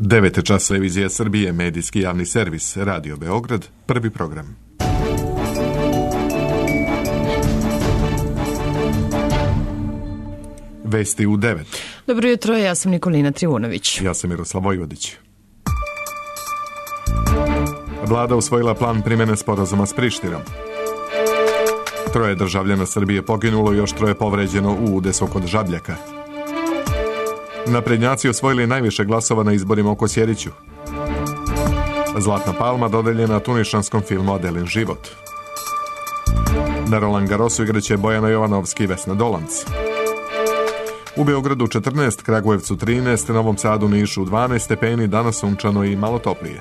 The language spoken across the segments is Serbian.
9 čas, televizija Srbije, medijski javni servis, Radio Beograd, prvi program. Vesti u 9. Dobro jutro, ja sam Nikolina Trivunović. Ja sam Miroslav Vojvodić. Vlada usvojila plan primjene sporazuma s Prištinom. 3 državljana Srbije poginulo, još 3 povređeno u udesu kod Žabljaka. Naprednjaci osvojili najviše glasova na izborima u Kosjeriću. Zlatna palma dodeljena tunišanskom filmu Adelin život. Na Roland Garrosu igraće Bojana Jovanovski i Vesna Dolanc. U Beogradu 14, Kragujevcu 13, Novom Sadu, Nišu 12 stepeni, danas sunčano i malo toplije.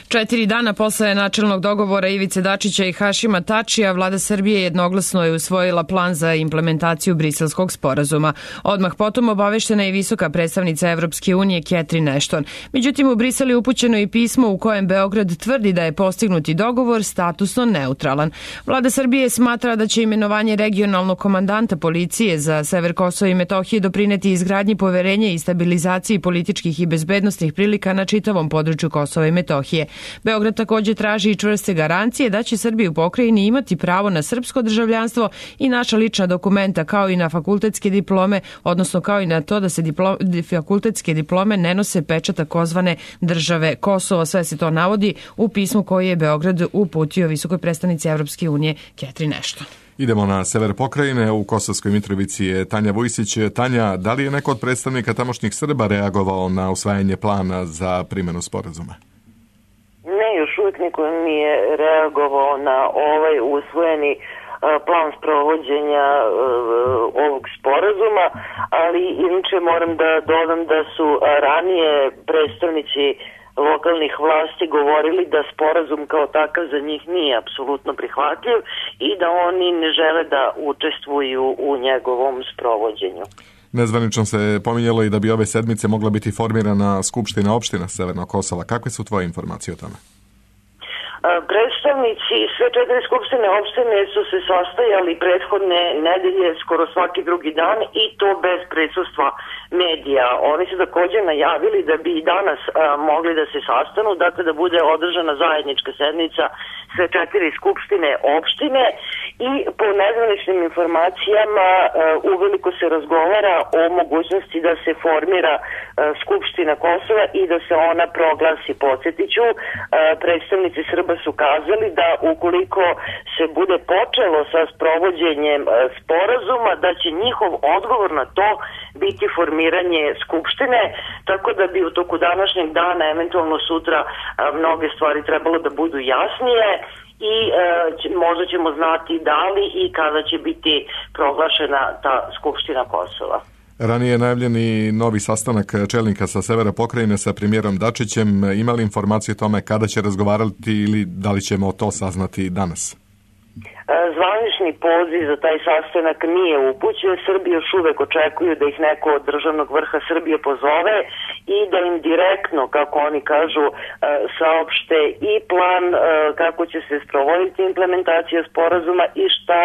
4 dana posle načelnog dogovora Ivice Dačića i Hašima Tačija, vlada Srbije jednoglasno je usvojila plan za implementaciju Briselskog sporazuma. Odmah potom obaveštena je visoka predstavnica Evropske unije Catherine Ashton. Međutim, u Brisel je upućeno i pismo u kojem Beograd tvrdi da je postignuti dogovor statusno neutralan. Vlada Srbije smatra da će imenovanje regionalnog komandanta policije za sever Kosova i Metohije doprineti izgradnji poverenja i stabilizaciji političkih i bezbednosnih prilika na čitavom području Kosova i Metohije. Beograd također traži i čvrste garancije da će Srbija u pokrajini imati pravo na srpsko državljanstvo i naša lična dokumenta, kao i na fakultetske diplome, odnosno kao i na to da se fakultetske diplome ne nose pečat takozvane države Kosovo. Sve se to navodi u pismu koje je Beograd uputio visokoj predstavnici Evropske unije Catherine Ashton. Idemo na sever pokrajine. U Kosovskoj Mitrovici je Tanja Vujsić. Tanja, da li je neko od predstavnika tamošnjih Srba reagovao na usvajanje plana za primjenu sporazuma? Ne, još uvijek niko nije reagovao na ovaj usvojeni plan sprovođenja ovog sporazuma, ali inače moram da dodam da su ranije predstavnici lokalnih vlasti govorili da sporazum kao takav za njih nije apsolutno prihvatljiv i da oni ne žele da učestvuju u njegovom sprovođenju. Nezvanično se pominjalo i da bi ove sedmice mogla biti formirana Skupština opština Severnog Kosova. Kakve su tvoje informacije o tome? Predstavnici sve 4 skupštine opštine su se sastajali prethodne nedelje skoro svaki drugi dan i to bez prisustva medija. Oni su također najavili da bi i danas mogli da se sastanu, dakle da bude održana zajednička sednica sve 4 skupštine opštine i po nezvaničnim informacijama uveliko se razgovara o mogućnosti da se formira Skupština Kosova i da se ona proglasi. Podsjetiću, predstavnici Srba su kazali da ukoliko se bude počelo sa sprovođenjem sporazuma, da će njihov odgovor na to biti formiranje Skupštine, tako da bi u toku današnjeg dana, eventualno sutra, mnoge stvari trebalo da budu jasnije i možda ćemo znati da li i kada će biti proglašena ta Skupština Kosova. Ranije je najavljen i novi sastanak čelnika sa severa pokrajine sa premijerom Dačićem. Imali informacije o tome kada će razgovarati ili da li ćemo to saznati danas? Zvanični poziv za taj sastanak nije upućen. Srbi još uvek očekuju da ih neko od državnog vrha Srbije pozove i da im direktno, kako oni kažu, saopšte i plan kako će se sprovoditi implementacija sporazuma i šta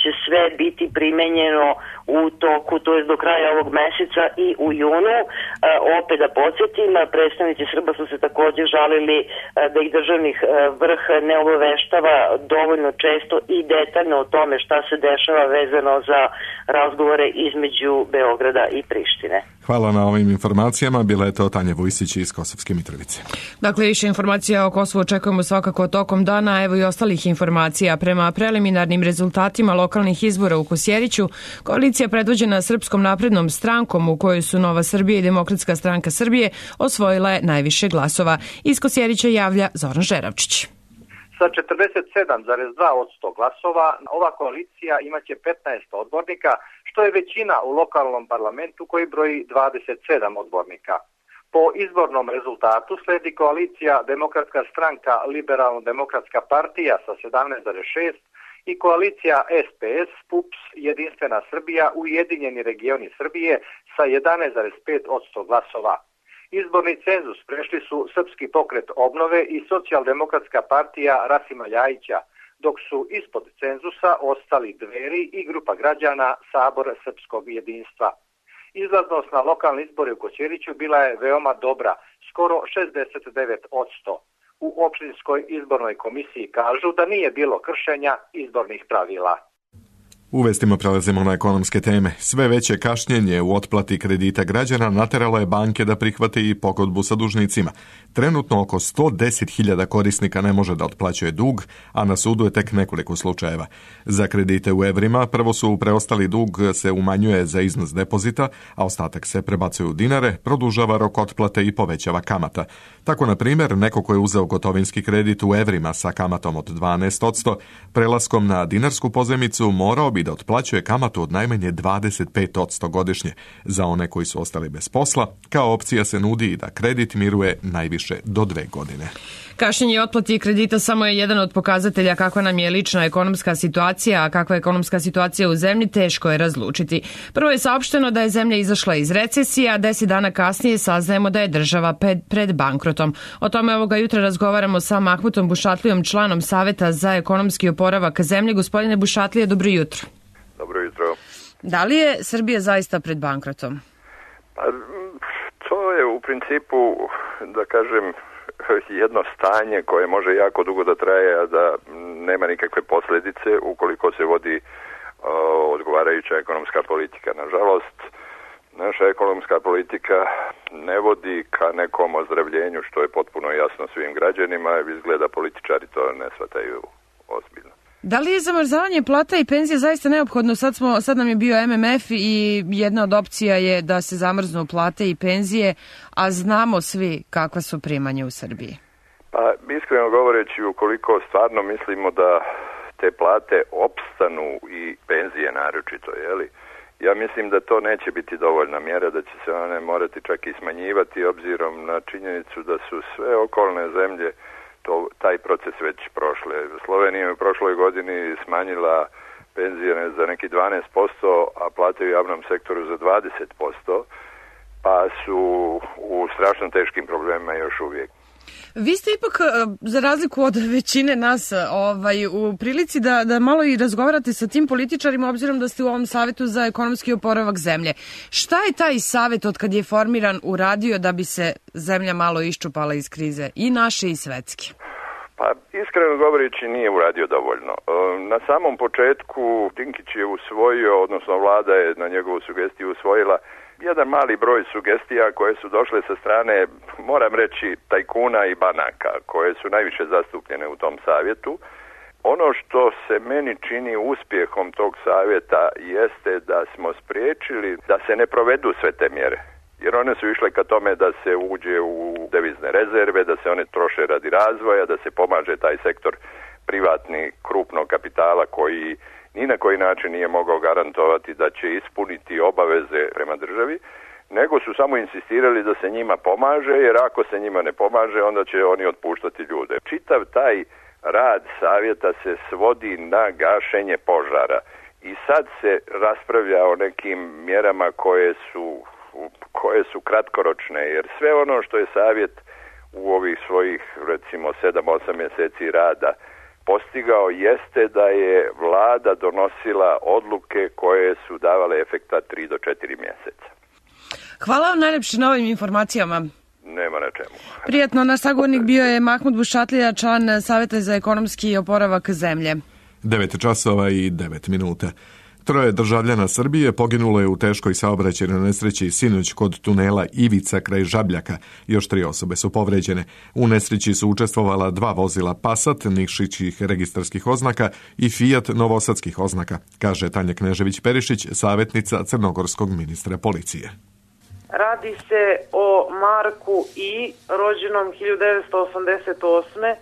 će sve biti primenjeno u toku, to je do kraja ovog meseca i u junu. Opet da podsjetim, predstavnici Srba su se također žalili da ih državnih vrh ne obaveštava dovoljno često i detaljno o tome šta se dešava vezano za razgovore između Beograda i Prištine. Hvala na ovim informacijama. Bila je to Tanja Vujsić iz Kosovske Mitrovice. Dakle, više informacija o Kosovu očekujemo svakako tokom dana, evo i ostalih informacija. Prema preliminarnim rezultatima lokalnih izbora u Kosjeriću, koalicija predvođena Srpskom naprednom strankom, u kojoj su Nova Srbija i Demokratska stranka Srbije, osvojila je najviše glasova. Iz Kosjerića javlja Zoran Žeravčić. Sa 47,2% glasova ova koalicija imaće 15 odbornika, što je većina u lokalnom parlamentu koji broji 27 odbornika. Po izbornom rezultatu sledi koalicija Demokratska stranka Liberalno-demokratska partija sa 17,6 i koalicija SPS, PUPS, Jedinstvena Srbija, Ujedinjeni regioni Srbije sa 11,5% glasova. Izborni cenzus prešli su Srpski pokret obnove i Socijaldemokratska partija Rasima Ljajića, dok su ispod cenzusa ostali Dveri i grupa građana Sabor srpskog jedinstva. Izlaznost na lokalni izbori u Kosjeriću bila je veoma dobra, skoro 69%. U opštinskoj izbornoj komisiji kažu da nije bilo kršenja izbornih pravila. U vestima prelazimo na ekonomske teme. Sve veće kašnjenje u otplati kredita građana nateralo je banke da prihvate i pogodbu sa dužnicima. Trenutno oko 110.000 korisnika ne može da otplaćuje dug, a na sudu je tek nekoliko slučajeva. Za kredite u evrima prvo su preostali dug se umanjuje za iznos depozita, a ostatak se prebacuje u dinare, produžava rok otplate i povećava kamata. Tako, na primjer, neko ko je uzeo gotovinski kredit u evrima sa kamatom od 12%, prelaskom na dinarsku pozajmicu morao bi da otplaćuje kamatu od najmanje 25% godišnje. Za one koji su ostali bez posla, kao opcija se nudi i da kredit miruje najviše do 2 godine. Kašnjenje otplati kredita samo je jedan od pokazatelja kakva nam je lična ekonomska situacija, a kakva je ekonomska situacija u zemlji teško je razlučiti. Prvo je saopšteno da je zemlja izašla iz recesije, a 10 dana kasnije saznajemo da je država pred bankrotom. O tome ovoga jutra razgovaramo sa Mahmutom Bušatlijom, članom Saveta za ekonomski oporavak zemlje. Gospodine Bušatlije, dobro jutro. Dobro jutro. Da li je Srbija zaista pred bankrotom? Pa, to je u principu, da kažem, jedno stanje koje može jako dugo da traje, a da nema nikakve posljedice ukoliko se vodi odgovarajuća ekonomska politika. Nažalost, naša ekonomska politika ne vodi ka nekom ozdravljenju, što je potpuno jasno svim građanima, izgleda političari to ne shvataju ozbiljno. Da li je zamrzavanje plata i penzije zaista neophodno? Sad nam je bio MMF i jedna od opcija je da se zamrznu plate i penzije, a znamo svi kakva su primanja u Srbiji. Pa, iskreno govoreći, ukoliko stvarno mislimo da te plate opstanu i penzije naročito, ja mislim da to neće biti dovoljna mjera, da će se one morati čak i smanjivati obzirom na činjenicu da su sve okolne zemlje taj proces već prošle. Slovenija je u prošloj godini smanjila penzije za neki 12%, a plate u javnom sektoru za 20%, pa su u strašno teškim problemima još uvijek. Vi ste ipak, za razliku od većine nas, u prilici da malo i razgovarate sa tim političarima, obzirom da ste u ovom Savetu za ekonomski oporavak zemlje. Šta je taj savet od kad je formiran uradio da bi se zemlja malo iščupala iz krize, i naše i svetske? Pa, iskreno govoreći, nije uradio dovoljno. Na samom početku Dinkić je usvojio, odnosno vlada je na njegovu sugestiju usvojila jedan mali broj sugestija koje su došle sa strane, moram reći, tajkuna i banaka, koje su najviše zastupljene u tom savjetu. Ono što se meni čini uspjehom tog savjeta jeste da smo spriječili da se ne provedu sve te mjere. Jer one su išle ka tome da se uđe u devizne rezerve, da se one troše radi razvoja, da se pomaže taj sektor privatni krupnog kapitala koji ni na koji način nije mogao garantovati da će ispuniti obaveze prema državi, nego su samo insistirali da se njima pomaže, jer ako se njima ne pomaže, onda će oni otpuštati ljude. Čitav taj rad savjeta se svodi na gašenje požara i sad se raspravlja o nekim mjerama koje su kratkoročne, jer sve ono što je savjet u ovih svojih, recimo, 7-8 mjeseci rada postigao jeste da je vlada donosila odluke koje su davale efekta 3 do 4 mjeseca. Hvala vam najljepše na ovim informacijama. Nema na čemu. Prijatno, naš sagovornik bio je Mahmut Bušatlija, član Saveta za ekonomski oporavak zemlje. 9:09. 3 državljana Srbije poginulo je u teškoj saobraćajnoj nesreći sinoć kod tunela Ivica kraj Žabljaka. Još 3 osobe su povređene. U nesreći su učestvovala 2 vozila Passat Nikšićih registarskih oznaka i Fiat novosadskih oznaka, kaže Tanja Knežević-Perišić, savjetnica crnogorskog ministra policije. Radi se o Marku I, rođenom 1988.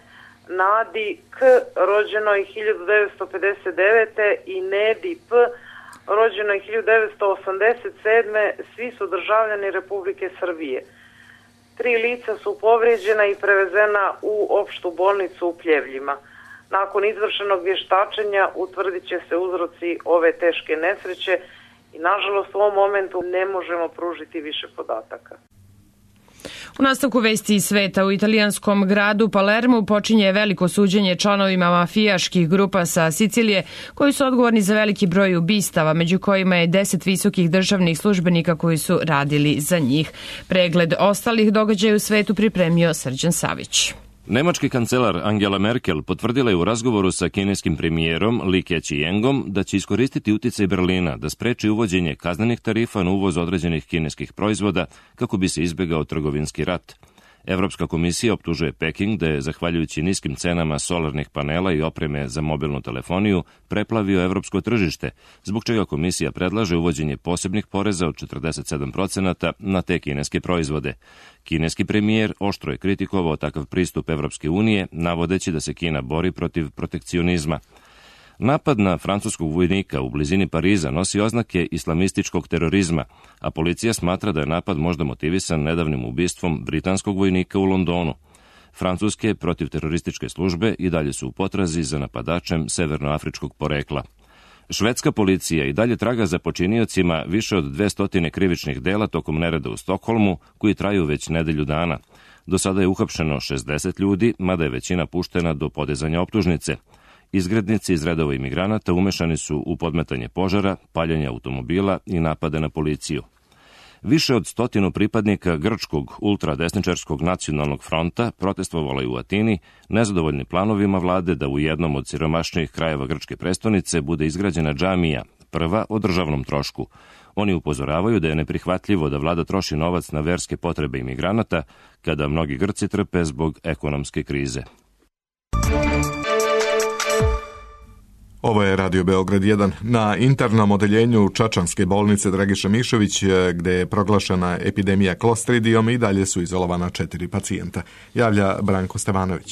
Nadi K, rođenoj 1959. i Nedi P, rođenoj 1987. Svi su državljani Republike Srbije. 3 lica su povrijeđena i prevezena u opštu bolnicu u Pljevljima. Nakon izvršenog vještačenja utvrdit će se uzroci ove teške nesreće i nažalost u ovom momentu ne možemo pružiti više podataka. U nastavku vesti iz sveta, u italijanskom gradu Palermu počinje veliko suđenje članovima mafijaških grupa sa Sicilije koji su odgovorni za veliki broj ubistava, među kojima je 10 visokih državnih službenika koji su radili za njih. Pregled ostalih događaja u svetu pripremio Srđan Savić. Nemački kancelar Angela Merkel potvrdila je u razgovoru sa kineskim premijerom Li Keqiangom da će iskoristiti uticaj Berlina da spreči uvođenje kaznenih tarifa na uvoz određenih kineskih proizvoda kako bi se izbegao trgovinski rat. Evropska komisija optužuje Peking da je, zahvaljujući niskim cenama solarnih panela i opreme za mobilnu telefoniju, preplavio evropsko tržište, zbog čega komisija predlaže uvođenje posebnih poreza od 47% na te kineske proizvode. Kineski premijer oštro je kritikovao takav pristup Evropske unije, navodeći da se Kina bori protiv protekcionizma. Napad na francuskog vojnika u blizini Pariza nosi oznake islamističkog terorizma, a policija smatra da je napad možda motivisan nedavnim ubistvom britanskog vojnika u Londonu. Francuske protivterorističke službe i dalje su u potrazi za napadačem severnoafričkog porekla. Švedska policija i dalje traga za počiniocima više od 200 krivičnih dela tokom nereda u Stokholmu, koji traju već nedelju dana. Do sada je uhapšeno 60 ljudi, mada je većina puštena do podizanja optužnice. Izgrednici iz redova imigranata umešani su u podmetanje požara, paljenje automobila i napade na policiju. Više od 100 pripadnika grčkog ultradesničarskog nacionalnog fronta protestovalo je u Atini, nezadovoljni planovima vlade da u jednom od siromašnijih krajeva grčke prestonice bude izgrađena džamija, prva o državnom trošku. Oni upozoravaju da je neprihvatljivo da vlada troši novac na verske potrebe imigranata, kada mnogi Grci trpe zbog ekonomske krize. Ovo je Radio Beograd 1. Na internom odeljenju Čačanske bolnice Dragiša Mišović, gde je proglašena epidemija klostridijom, i dalje su izolovana 4 pacijenta. Javlja Branko Stevanović.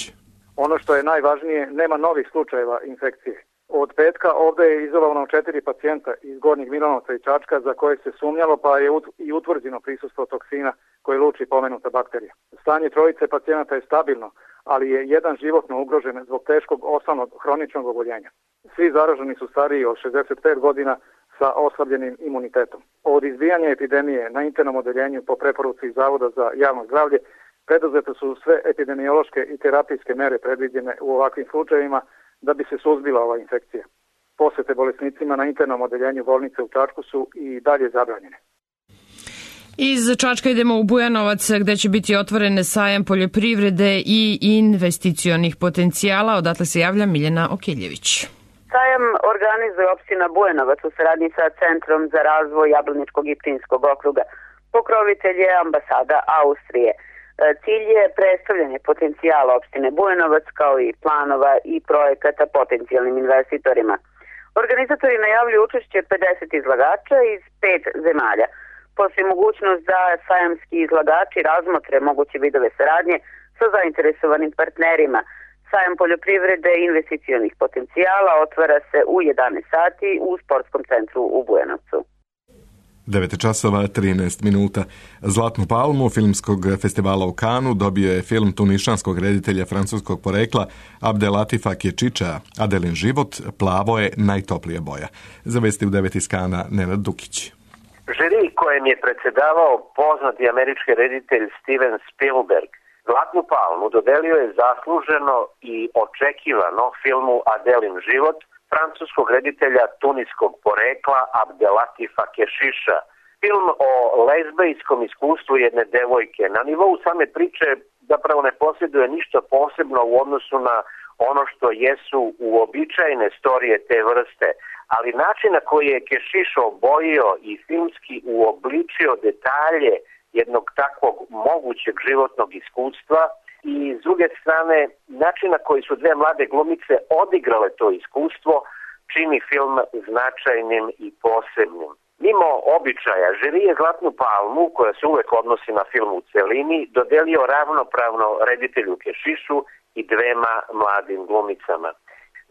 Ono što je najvažnije, nema novih slučajeva infekcije. Od petka ovde je izolovano 4 pacijenta iz Gornjeg Milanovca i Čačka za koje se sumnjalo, pa je i utvrđeno prisustvo toksina koji luči pomenuta bakterija. Stanje trojice pacijenata je stabilno, ali je jedan životno ugrožen zbog teškog osnovnog hroničnog oboljenja. Svi zaraženi su stariji od 65 godina sa oslabljenim imunitetom. Od izbijanja epidemije na internom odeljenju po preporuci Zavoda za javno zdravlje preduzete su sve epidemiološke i terapijske mere predviđene u ovakvim slučajevima da bi se suzbila ova infekcija. Posete bolesnicima na internom odeljenju bolnice u Čačku su i dalje zabranjene. Iz Čačka idemo u Bujanovac, gde će biti otvoren sajam poljoprivrede i investicionih potencijala. Odatle se javlja Miljana Okiljević. Sajam organizuje opština Bujanovac u saradnji sa Centrom za razvoj Jablaničkog i Pčinjskog okruga. Pokrovitelj je ambasada Austrije. Cilj je predstavljanje potencijala opštine Bujanovac kao i planova i projekata potencijalnim investitorima. Organizatori najavljuju učešće 50 izlagača iz 5 zemalja. Postoji mogućnost da sajamski izlagači razmotre moguće vidove saradnje sa zainteresovanim partnerima. Sajam poljoprivrede i investicionih potencijala otvara se u 11 sati u sportskom centru u Bujanovcu. 9:13. Zlatnu palmu filmskog festivala u Kanu dobio je film tunišanskog reditelja francuskog porekla Abdelatifa Kešiša Adelin život, plavo je najtoplija boja. Za vesti u 9 iz Kana Nenad Dukić. Žiri kojem je predsjedavao poznati američki reditelj Steven Spielberg Zlatnu palmu dodelio je zasluženo i očekivano filmu Adelin život francuskog reditelja tuniskog porekla Abdelatifa Kešiša. Film o lezbejskom iskustvu jedne devojke na nivou same priče zapravo ne posjeduje ništa posebno u odnosu na ono što jesu uobičajene storije te vrste, ali način na koji je Kešiš obojio i filmski uobličio detalje jednog takvog mogućeg životnog iskustva i s druge strane način na koji su dve mlade glumice odigrale to iskustvo čini film značajnim i posebnim. Mimo običaja, žiri je Zlatnu palmu, koja se uvek odnosi na film u celini, dodelio ravnopravno reditelju Kešišu i dvema mladim glumicama.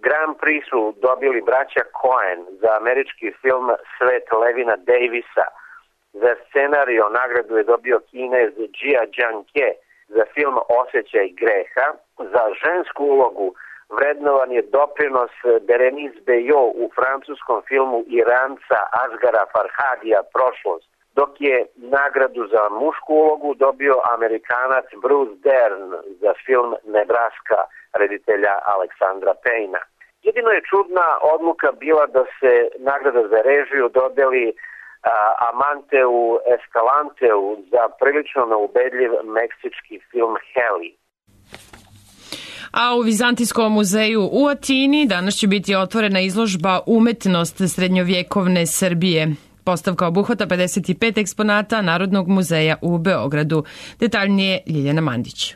Grand Prix su dobili braća Coen za američki film Svet Levina Davisa. Za scenario nagradu je dobio Kinez Jia Jianke za film Osjećaj greha. Za žensku ulogu vrednovan je doprinos Berenice Bejo u francuskom filmu Iranca Asgara Farhadija Prošlost. dok je nagradu za mušku ulogu dobio Amerikanac Bruce Dern za film Nebraska reditelja Aleksandra Payna. Jedino je čudna odluka bila da se nagrada za režiju dodeli Amanteu Escalanteu za prilično neubedljiv meksički film Heli. A u Vizantijskom muzeju u Atini danas će biti otvorena izložba Umetnost srednjovjekovne Srbije. Postavka obuhvata 55 eksponata Narodnog muzeja u Beogradu. Detaljnije Ljiljana Mandić.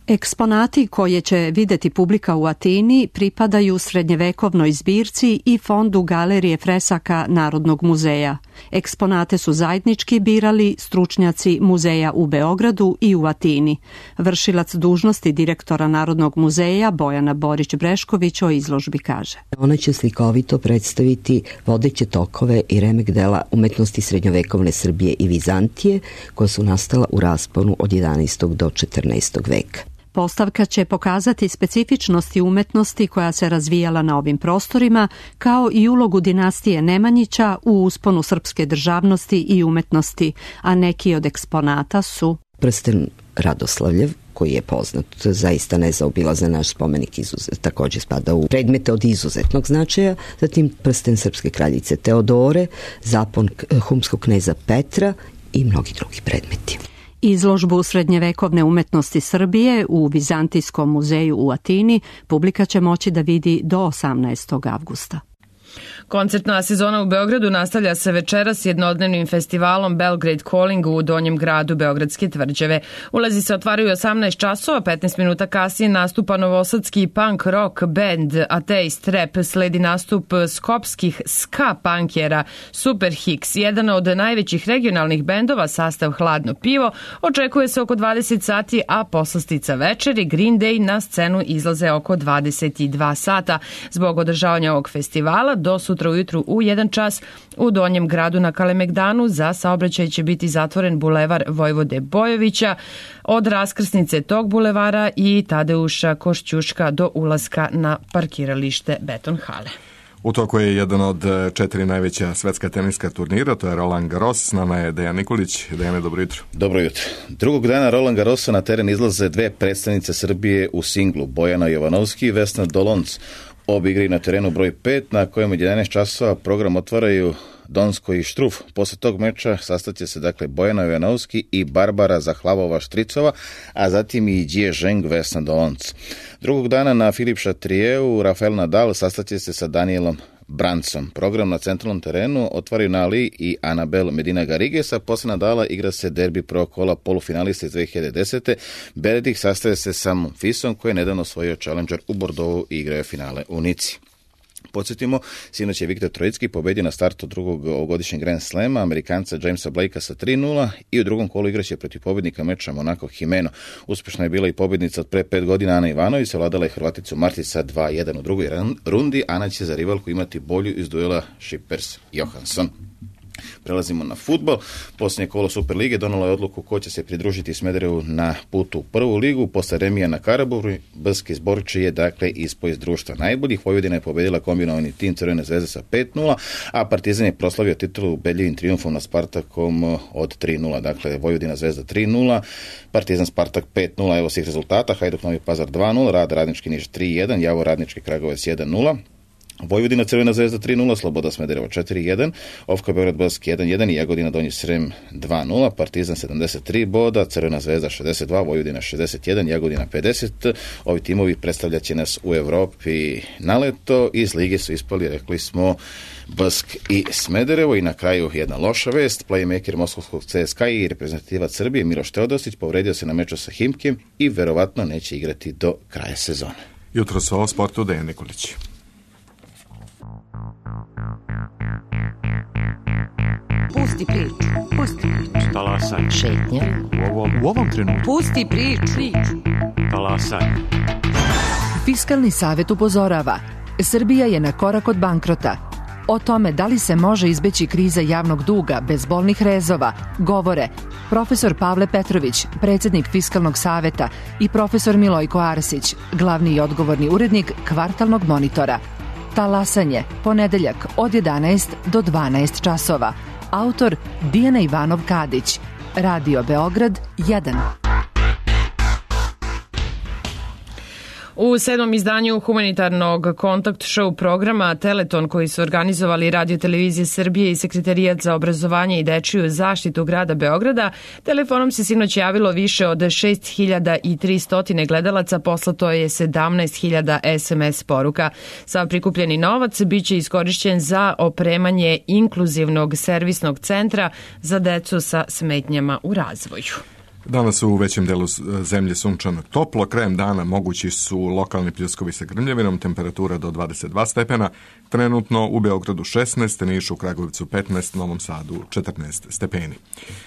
Eksponati koje će videti publika u Atini pripadaju srednjevekovnoj zbirci i fondu galerije fresaka Narodnog muzeja. Eksponate su zajednički birali stručnjaci muzeja u Beogradu i u Atini. Vršilac dužnosti direktora Narodnog muzeja Bojana Borić-Brešković o izložbi kaže. Ona će slikovito predstaviti vodeće tokove i remek dela umetnosti srednjovekovne Srbije i Vizantije koja su nastala u rasponu od 11. do 14. veka. Postavka će pokazati specifičnosti umetnosti koja se razvijala na ovim prostorima, kao i ulogu dinastije Nemanjića u usponu srpske državnosti i umetnosti, a neki od eksponata su prsten Radoslavljev, koji je poznat, zaista nezaobilazan naš spomenik, također spada u predmete od izuzetnog značaja, zatim prsten srpske kraljice Teodore, zapon humskog kneza Petra i mnogi drugi predmeti. Izložbu srednjevekovne umetnosti Srbije u Vizantijskom muzeju u Atini publika će moći da vidi do 18. avgusta. Koncertna sezona u Beogradu nastavlja se večeras jednodnevnim festivalom Belgrade Calling u Donjem gradu Beogradske tvrđave. Ulazi se otvaraju 18 časova, 15 minuta kasnije nastupa novosadski punk rock band Atheist Rap, sledi nastup skopskih ska punkera Super Hicks, jedan od najvećih regionalnih bendova, sastav Hladno pivo. Očekuje se oko 20 sati, a poslastica večeri Green Day na scenu izlaze oko 22 sata. Zbog održavanja ovog festivala do sutra ujutru u 1 čas u Donjem gradu na Kalemegdanu za saobraćaj će biti zatvoren bulevar Vojvode Bojovića od raskrsnice tog bulevara i Tadeuša Košćuška do ulaska na parkiralište Beton hale. U toku je jedan od 4 najveća svetska teniska turnira, to je Roland Garros. S nama je Dejan Nikolić. Dejane, dobro jutro. Dobro jutro. Drugog dana Roland Garrosa na teren izlaze dve predstavnice Srbije u singlu, Bojana Jovanovski i Vesna Dolonc. Obe igraju na terenu broj 5, na kojem od 11 časova program otvaraju Donsko i Štruf. Posle tog meča sastaće se dakle Bojana Jovanovski i Barbara Zahlavova-Štricova, a zatim i Jie Zheng, Vesna Dolonc. Drugog dana na Filip Chatrieu Rafael Nadal sastaće se sa Danielom Brancom. Program na centralnom terenu otvaraju Nali i Anabel Medina Garrigues, a posle Nadala igra se derbi prvog kola polufinalista iz 2010. Beredik sastaje se sa Monfisom, koji je nedavno osvojio Challenger u Bordeauxu i igraju finale u Nici. Podsjetimo, sinoć je Viktor Trojicki pobedio na startu drugog ovogodišnjeg Grand Slema Amerikanca Jamesa Blakea sa 3-0 i u drugom kolu igraće protiv pobednika meča Monaco Jimeno. Uspešna je bila i pobednica od pre 5 godina Ana Ivanović, savladala je Hrvaticu Martica 2-1 u drugoj rundi. Ana će za rivalku imati bolju iz duela Šippers-Johansson. Prelazimo na fudbal. Posljednje kolo Superlige donalo je odluku ko će se pridružiti Smederevu na putu u prvu ligu. Posle remija na Karaburgu, Brski Zborči je dakle ispao iz društva najboljih. Vojvodina je pobedila kombinovani tim Crvene zvezde sa 5-0, a Partizan je proslavio titulu ubedljivim trijumfom na Spartakom od 3-0. Dakle, Vojvodina Zvezda 3-0, Partizan Spartak 5-0. Evo svih rezultata: Hajduk Novi Pazar 2-0, Rad Radnički Niš 3-1, Javor Radnički Kragujevac 1-0. Vojvodina Crvena zvezda 3-0, Sloboda Smederevo 4-1, Ofka Beograd Baski 1-1 i Jagodina Donji Srem 2-0, Partizan 73 boda, Crvena zvezda 62, Vojvodina 61, Jagodina 50. Ovi timovi predstavljaće nas u Evropi na leto. Iz lige su ispali, rekli smo, Bask i Smederevo. I na kraju jedna loša vest: playmaker moskovskog CSKA i reprezentativac Srbije Miloš Teodosić povredio se na meču sa Himkim i verovatno neće igrati do kraja sezone. Jutro sa o sportu Dejan Nikolić. Pusti priču. Pusti priču. Talasaj. Šetnja. U ovom trenutku. Pusti priču. Talasaj. Fiskalni savet upozorava: Srbija je na korak od bankrota. O tome da li se može izbeći kriza javnog duga bez bolnih rezova govore profesor Pavle Petrović, predsjednik Fiskalnog saveta, i profesor Milojko Arsić, glavni i odgovorni urednik Kvartalnog monitora. Talasanje, ponedeljak od 11 do 12 časova. Autor Dijana Ivanov-Kadić. Radio Beograd 1. U 7. izdanju humanitarnog kontakt show programa Teleton, koji su organizovali Radio Televizije Srbije i Sekretarijat za obrazovanje i dečiju zaštitu grada Beograda, telefonom se sinoć javilo više od 6300 gledalaca, poslato je 17.000 SMS poruka. Sav prikupljeni novac biće iskorišćen za opremanje inkluzivnog servisnog centra za decu sa smetnjama u razvoju. Danas u većem delu zemlje sunčano toplo, krajem dana mogući su lokalni pljuskovi sa grmljavinom, temperatura do 22 stepena, trenutno u Beogradu 16, Nišu, Kragujevcu 15, Novom Sadu 14 stepeni.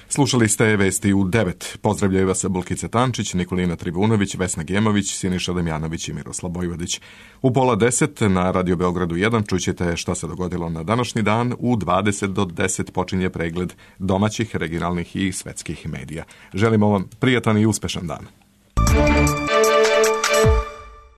Slušali ste vesti u 9. Pozdravljaju vas Bulkica Tančić, Nikolina Trivunović, Vesna Gemović, Siniša Damjanović i Miroslav Bojvodić. U 9:30 na Radio Beogradu 1 čućete šta se dogodilo na današnji dan. U 20 do 10 počinje pregled domaćih, regionalnih i svetskih medija. Želimo vam prijatan i uspešan dan.